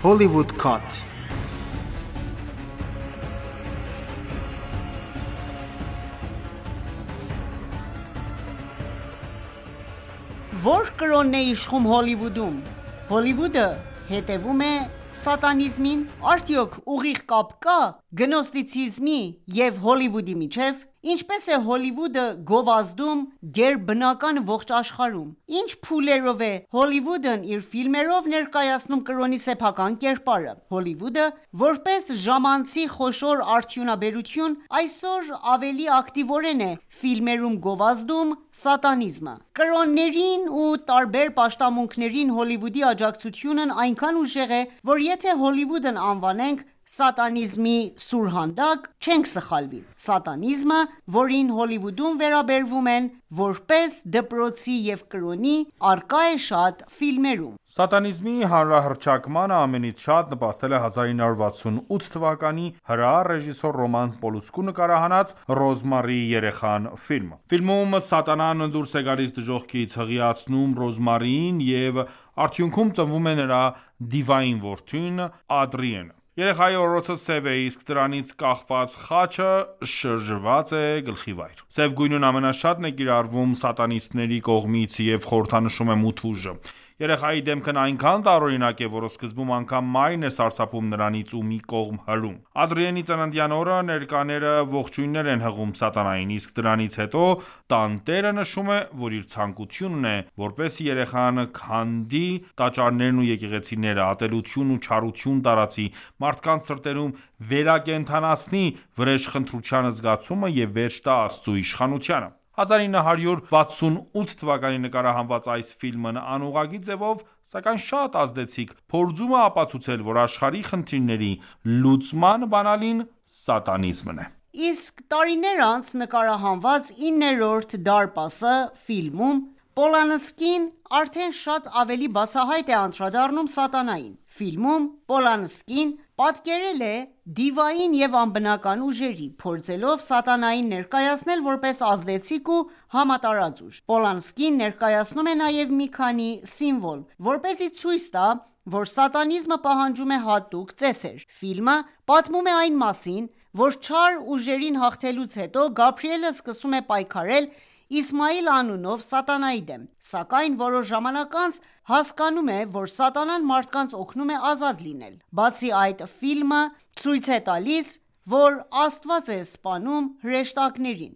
Hollywood Cut. Որ կրոնն է իշխում Հոլիվուդում: Հոլիվուդը հետևում է սատանիզմին: Արդյոք ուղիղ կապ կա գնոստիցիզմի և Հոլիվուդի միջև: Ինչպե՞ս է Հոլիվուդը գովազդում գերբնական ողջ աշխարհում: Ինչ փուլերով է Հոլիվուդն իր ֆիլմերով ներկայացնում կրոնի սեփական կերպարը: Հոլիվուդը, որպես ժամանցի խոշոր արդյունաբերություն, այսօր ավելի ակտիվորեն է ֆիլմերում գովազդում սատանիզմը: Կրոններին ու տարբեր պաշտամունքներին Հոլիվուդի աջակցությունն այնքան ուժեղ է, որ եթե Հոլիվուդն անվանենք սատանիզմի սուրհանդակ, չենք սխալվի: Սատանիզմը, որին Հոլիվուդում վերաբերվում են որպես դպրոցի և կրոնի, առկա է շատ ֆիլմերում: Սատանիզմի հանրահռչակմանը ամենից շատ նպաստել է 1968 թվականի հրեա ռեժիսոր Ռոման Պոլանսկու նկարահանած «Ռոզմարիի երեխան» ֆիլմը: Ֆիլմում սատանան դուրս է գալիս դժոխքից, հղիացնում Ռոզմարիին և արդյունքում ծնվում է նրա դիվային որդին՝ Ադրիենը: Երեխայի օրոցը սև է, իսկ դրանից կախված խաչը շրջված է գլխիվայր: Սև գույնն ամենաշատն է կիրառվում սատանիստների կողմից և խորհրդանշում է մութ ուժը: Երեխայի դեմքն այնքան տարօրինակ է, որ սկզբում անգամ մայրն է սարսափում նրանից ու մի կողմ հրում: Ադրիենի ծննդյան օրը ներկաները ողջույններ են հղում սատանային, իսկ դրանից հետո տանտերը նշում է, որ իր ցանկությունն է, որպեսզի երեխան քանդի տաճարներն ու եկեղեցիները, ատելություն ու չարություն տարածի, մարդկանց սրտերում վերակենդանացնի վրեժխնդրության զգացումը և վերջ տա Աստծու իշխանությանը: 1968 թվականին նկարահանված այս ֆիլմն անուղղակի ձևով, սակայն շատ ազդեցիկ, փորձում է ապացուցել, որ աշխարհի խնդիրների լուծման բանալին սատանիզմն է: Իսկ տարիներ անց նկարահանված «9-րդ դարպասը» ֆիլմում Պոլանսկին արդեն շատ ավելի բացահայտ է անդրադառնում սատանային: Ֆիլմում Պոլանսկին պատկերել է դիվային և անբնական ուժերի, փորձելով սատանային ներկայացնել որպես ազդեցիկ ու համատարած ուժ: Պոլանսկին ներկայացնում է նաև մի քանի սիմվոլ, որպեսզի ցույց տա, որ սատանիզմը պահանջում է հատուկ ծեսեր: Ֆիլմը պատմում է այն մասին, որ չար ուժերին հաղթելուց հետո Գաբրիելը սկսում է պայքարել Իսմայիլ անունով սատանայի դեմ: Սակայն որոշ ժամանակ անց հասկանում է, որ սատանան մարդկանց օգնում է ազատ լինել: Բացի այդ, ֆիլմը ցույց է տալիս, որ Աստված է սպանում հրեշտակներին,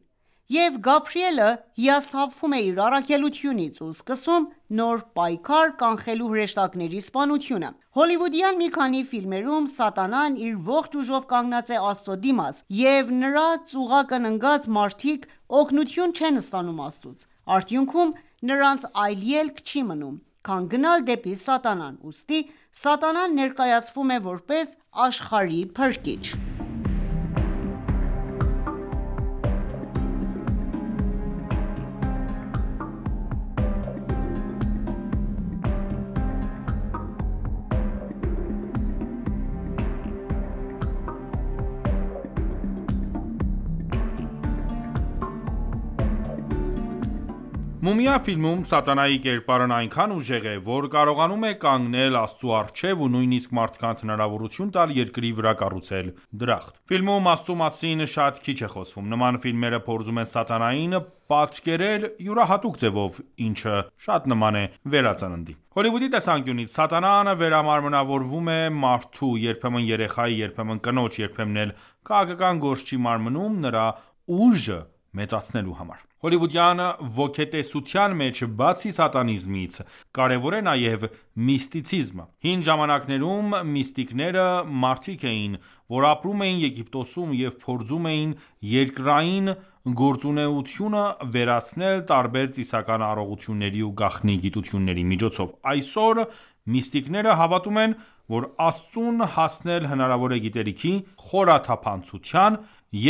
և Գաբրիելը հիասթափվում է իր առաքելությունից ու սկսում նոր պայքար կանխելու հրեշտակների սպանությունը: Հոլիվուդյան մի քանի ֆիլմերում սատանան իր ողջ ուժով կանգնած է Աստծո դիմաց, և նրա ծուղակն ընկած մարդիկ օգնություն չեն ստանում Աստծուց: Արդյունքում նրանց այլ ելք չի մնում, քան գնալ դեպի սատանան: Ուստի սատանան ներկայացվում է որպես աշխարհի փրկիչ: «Մումիա» ֆիլմում սատանայի կերպարն այնքան ուժեղ է, որ կարողանում է կանգնել Աստծու առջև ու նույնիսկ մարդկանց հնարավորություն տալ երկրի վրա կառուցել դրախտ: Ֆիլմում Աստծու մասին շատ քիչ է խոսվում: Նման ֆիլմերը փորձում են սատանային պատկերել յուրահատուկ ձևով, ինչը շատ նման է վերածննդի: Հոլիվուդի տեսանկյունից սատանան վերամարմնավորվում է մարդու, երբեմն երեխայի, երբեմն կնոջ, երբեմն էլ քաղաքական գործչի մարմնում նրա ուժը մեծացնելու համար: Հոլիվուդյան ոգետեսության մեջ բացի սատանիզմից, կարևոր է նաև միստիցիզմը: Հին ժամանակներում միստիկները մարդիկ էին, որ ապրում էին Եգիպտոսում և փորձում էին երկրային գործունեությունը վերացնել տարբեր ծիսական առողջությունների ու գաղտնի գիտությունների միջոցով: Այսօր միստիկները հավատում են, որ Աստծուն հասնել հնարավոր է գիտելիքի, խորաթափանցության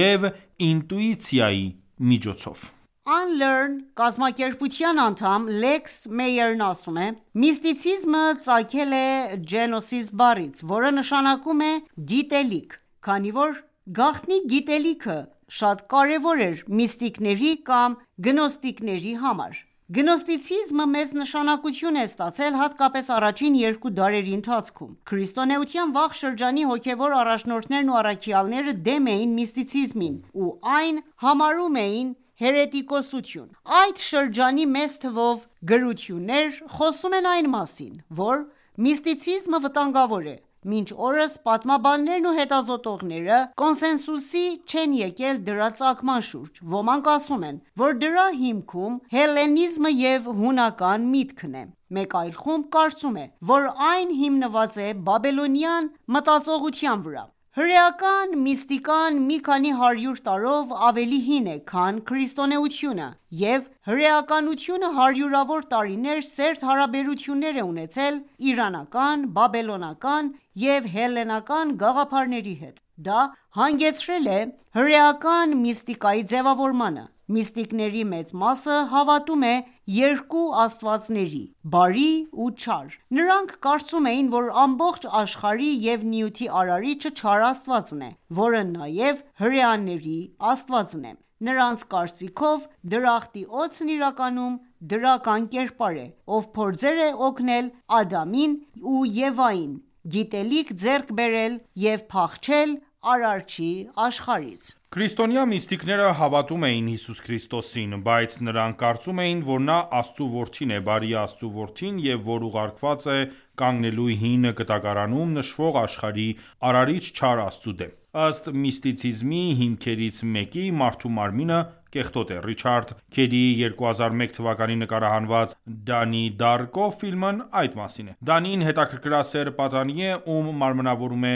և ինտուիցիայի միջոցով: Unlearn կազմակերպության անդամ Լեքս Մեյերն ասում է. «Միստիցիզմը ծագել է Gnosis բառից, որը նշանակում է գիտելիք, քանի որ գաղտնի գիտելիքը շատ կարևոր էր միստիկների կամ գնոստիկների համար: Գնոստիցիզմը մեծ նշանակություն է ստացել հատկապես առաջին 2 դարերի ընթացքում։ Քրիստոնեության վաղ շրջանի հոգևոր առաջնորդներն ու առաքյալները դեմ էին միստիցիզմին ու այն համարում էին հերետիկոսություն։ Այդ շրջանի մեծ թվով գրություններ խոսում են այն մասին, որ միստիցիզմը վտանգավոր է։ Մինչ օրս պատմաբաններն ու հետազոտողները կոնսենսուսի չեն եկել դրա ծագման շուրջ։ Ոմանք ասում են, որ դրա հիմքում հելլենիզմը և հունական միտքն է։ Մեկ այլ խումբ կարծում է, որ այն հիմնված է բաբելոնյան մտածողության վրա։ Հրեական միստիկան մի քանի 100 տարով ավելի հին է, քան քրիստոնեությունը, և հրեականությունը հարյուրավոր տարիներ սերտ հարաբերություններ է ունեցել իրանական, բաբելոնական և հելլենական գաղափարների հետ։ Դա հանգեցրել է հրեական միստիկայի ձևավորմանը։ Միստիկների մեծ մասը հավատում է երկու աստվածների՝ բարի ու չար։ Նրանք կարծում էին, որ ամբողջ աշխարհի և նյութի արարիչը չար Աստվածն է, որը նաև հրեաների Աստվածն է։ Նրանց կարծիքով դրախտի օձն իրականում դրական կերպար է, ով փորձեր է օգնել Ադամին ու Եվային գիտելիք ձեռք բերել և փախչել Արարչի աշխարհից։ Քրիստոնյա միստիկները հավատում էին Հիսուս Քրիստոսին, բայց նրանք կարծում էին, որ նա Աստծու որդին է, բարի Աստծու որդին, և որ ուղարկված է կանգնելու հին կտակարանում նշվող աշխարհի արարիչ չար Աստծու դեմ։ Ըստ միստիցիզմի հիմքերից մեկի, մարդու մարմինը կեղտոտ է։ Ռիչարդ Քերիի 2001 թվականի նկարահանված «Դանի Դարկո» ֆիլմն այդ մասին է։ Դանին հետաքրքրասեր պատանի է, ում մարմնավորում է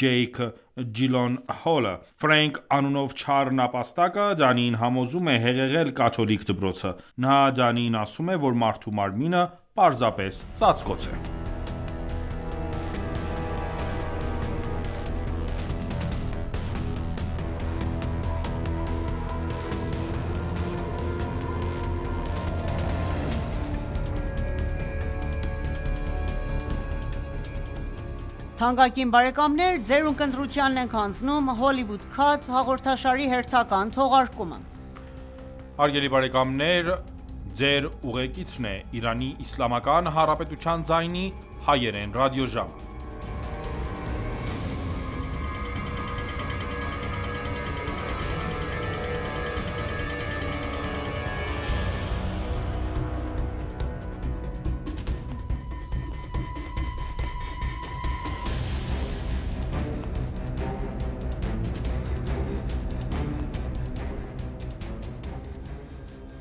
Ջեյք Ջիլոնհոլը։ Ֆրենկ անունով չար նապաստակը Դանիին համոզում է հեղեղել կաթոլիկ դպրոցը։ Նա Դանիին ասում է, որ մարդու մարմինը պարզապես ծածկոց է։ Թանկագին բարեկամներ, ձեր ունկնդրությանն ենք հանձնում Hollywood Cut հաղորդաշարի հերթական թողարկումը։ Հարգելի բարեկամներ, ձեր ուղեկիցն է Իրանի Իսլամական Հանրապետության ձայնի հայերեն ռադիոժամը։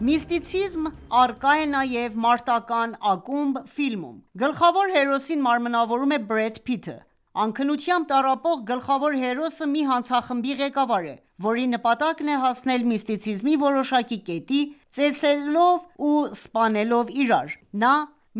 Միստիցիզմ առկա է նաև մարտական ակումբ ֆիլմում։ Գլխավոր հերոսին մարմնավորում է Բրեդ Փիթը։ Անքնությամբ տառապող գլխավոր հերոսը մի հանցախմբի ղեկավար է, որի նպատակն է հասնել միստիցիզմի որոշակի կետի՝ ծեծելով ու սպանելով իրար։ Նա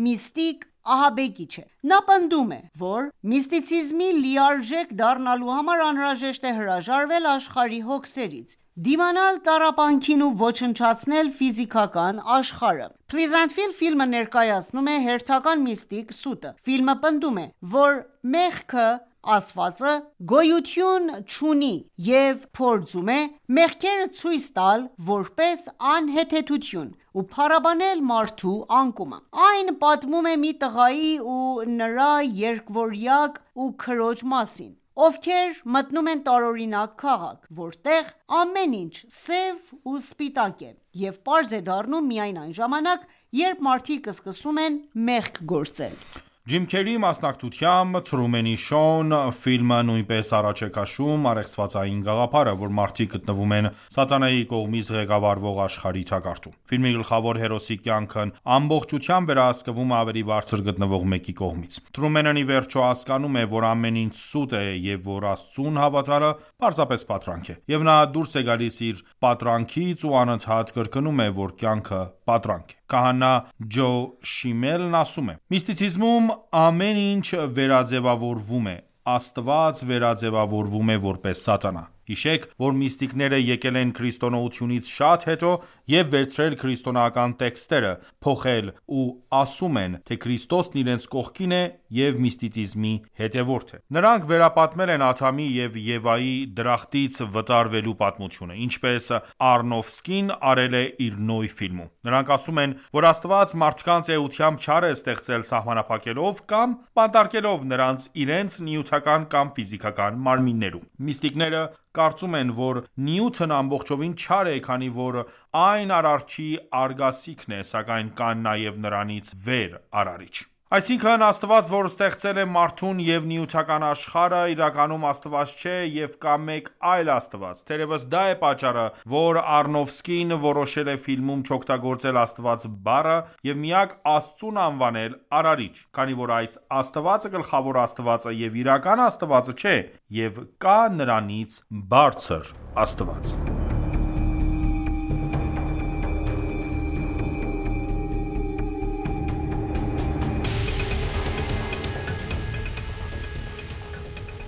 միստիկ ահաբեկիչ է։ Նա պնդում է, որ միստիցիզմի լիարժեք դառնալու համար անհրաժեշտ է հրաժարվել աշխարհի հոգսերից, դիմանալ տառապանքին ու ոչնչացնել ֆիզիկական աշխարհը։ Pleasantville ֆիլմը ներկայացնում է հերթական միստիկ Սուտը։ Ֆիլմը պնդում է, որ մեղքը ասվածը գոյություն չունի և փորձում է մեղքերը ցույց տալ որպես անհեթեթություն ու փառաբանել մարդու անկումը։ Այն պատմում է մի տղայի ու նրա երկվորյակ ու քրոջ մասին, ովքեր մտնում են տարօրինակ քաղաք, որտեղ ամեն ինչ սև ու սպիտակ է, և պարզ է դառնում միայն այն ժամանակ, երբ մարդիկ սկսում են մեղք գործել։ Ջիմ Քերիի մասնակցությամբ Թրումենի Շոուն ֆիլմը նույնպես առաջ է քաշում առեղծվածային գաղափարը, որ մարդիկ գտնվում են սատանայի կողմից ղեկավարվող աշխարհի թակարդում։ Ֆիլմի գլխավոր հերոսի կյանքն ամբողջությամբ վերահսկվում է ավելի բարձր գտնվող մեկի կողմից։ Թրումենն ի վերջո հասկանում է, որ ամեն ինչ սուտ է և որ Աստծուն հավատալը պարզապես պատրանք է, և նա դուրս է գալիս իր պատրանքից ու անընդհատ կրկնում է, որ կյանքը պատրանք է։ Քահանա Ջո Շիմելն ասում է. Միստիցիզմում ամեն ինչ վերաձևավորվում է, Աստված վերաձևավորվում է որպես սատանա։ Հիշեք, որ միստիկները եկել են քրիստոնեությունից շատ հետո և վերցրել քրիստոնեական տեքստերը, փոխել ու ասում են, թե Քրիստոսն իրենց կողքին է և միստիցիզմի հետևորդ է։ Նրանք վերապատմել են Ադամի և Եվայի դրախտից վտարվելու պատմությունը, ինչպես Արոնոֆսկին արել է իր Նոյ ֆիլմում։ Նրանք ասում են, որ Աստված մարդկանց էությամբ չար է ստեղծել սահմանափակելով կամ բանտարկելով նրանց իրենց նյութական կամ ֆիզիկական մարմիններում։ Միստիկները կարծում են, որ Նյութն ամբողջովին չար է, քանի որ այն Արարչի արգասիքն է, սակայն կան նաև նրանից վեր Արարիչ։ Այսինքն, Աստված, որ ստեղծել է մարդուն և նյութական աշխարհը, իրականում Աստված չէ և կա մեկ այլ Աստված։ Թերևս դա է պատճառը, որ Արոնոֆսկին որոշել է ֆիլմում չօգտագործել Աստված բառը և միակ Աստծուն անվանել Արարիչ, քանի որ այս Աստվածը գլխավոր Աստվածը և իրական Աստվածը չէ, և կա նրանից բարձր Աստված։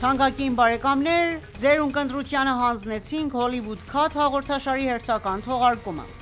Թանկագին բարեկամներ, ձեր ունկնդրությանը հանձնեցինք Hollywood Cut հաղորդաշարի հերթական թողարկումը։